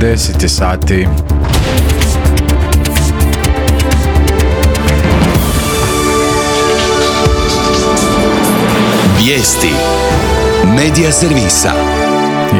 10 sati. Vijesti Medija servisa.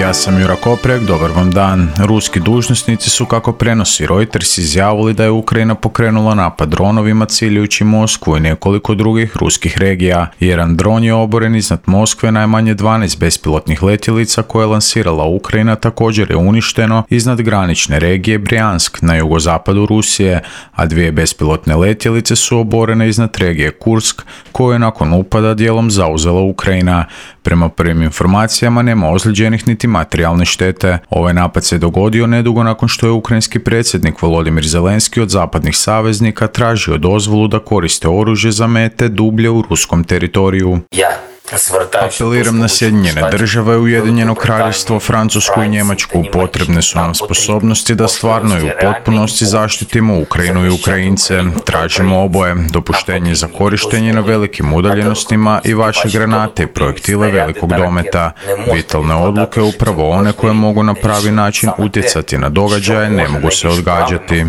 Ja sam Jura Koprek, dobar vam dan. Ruski dužnosnici su, kako prenosi Reuters, izjavili da je Ukrajina pokrenula napad dronovima ciljajući Moskvu i nekoliko drugih ruskih regija. Jedan dron je oboren iznad Moskve, najmanje 12 bespilotnih letjelica koje je lansirala Ukrajina također je uništeno iznad granične regije Brjansk na jugozapadu Rusije, a 2 bespilotne letjelice su oborene iznad regije Kursk, koju je nakon upada dijelom zauzela Ukrajina. Prema prvim informacijama nema ozlijeđenih niti materijalne štete. Ovaj napad se dogodio nedugo nakon što je ukrajinski predsjednik Volodimir Zelenski od zapadnih saveznika tražio dozvolu da koriste oružje za mete dublje u ruskom teritoriju. Apeliram na Sjedinjene države, Ujedinjeno kraljevstvo, Francusku i Njemačku. Potrebne su nam sposobnosti da stvarno i u potpunosti zaštitimo Ukrajinu i Ukrajince. Tražimo oboje, dopuštenje za korištenje na velikim udaljenostima i vaše granate i projektile velikog dometa. Vitalne odluke, upravo one koje mogu na pravi način utjecati na događaje, ne mogu se odgađati.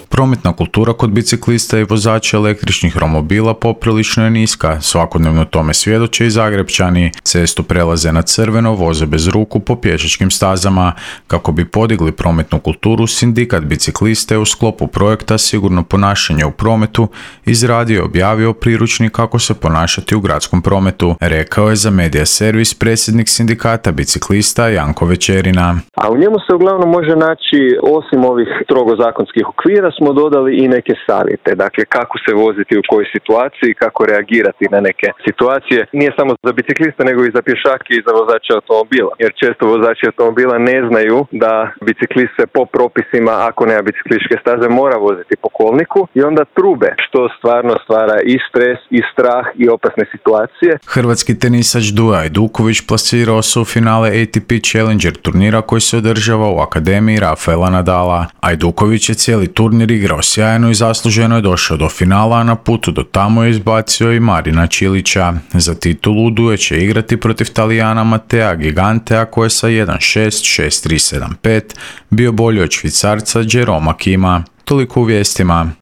Prometna kultura kod biciklista i vozača električnih romobila poprilično je niska. Svakodnevno tome svjedoče i Zagrepčani. Cestu prelaze na crveno, voze bez ruku po pješačkim stazama. Kako bi podigli prometnu kulturu, sindikat biciklista je u sklopu projekta Sigurno ponašanje u prometu izradio i objavio priručnik kako se ponašati u gradskom prometu, rekao je za Medija servis predsjednik sindikata biciklista Janko Večerina. A u njemu se uglavnom može naći, osim ovih strogo zakonskih okvira, smo dodali i neke savjete. Dakle, kako se voziti u kojoj situaciji, kako reagirati na neke situacije. Nije samo za bicikliste, nego i za pješake i za vozače automobila. Jer često vozači automobila ne znaju da biciklist se po propisima, ako nema biciklističke staze, mora voziti po kolniku i onda trube, što stvarno stvara i stres, i strah, i opasne situacije. Hrvatski tenisač Duja Ajduković plasirao se u finale ATP Challenger turnira koji se održava u Akademiji Rafaela Nadala. Ajduković je cijeli turnir igrao sjajno i zasluženo je došao do finala, a na putu do tamo je izbacio i Marina Čilića. Za titulu Duje će igrati protiv Talijana Matea Gigantea koji je sa 1-6, 6-3, 7-5 bio bolji od Švicarca Jeroma Kima. Toliko u vijestima.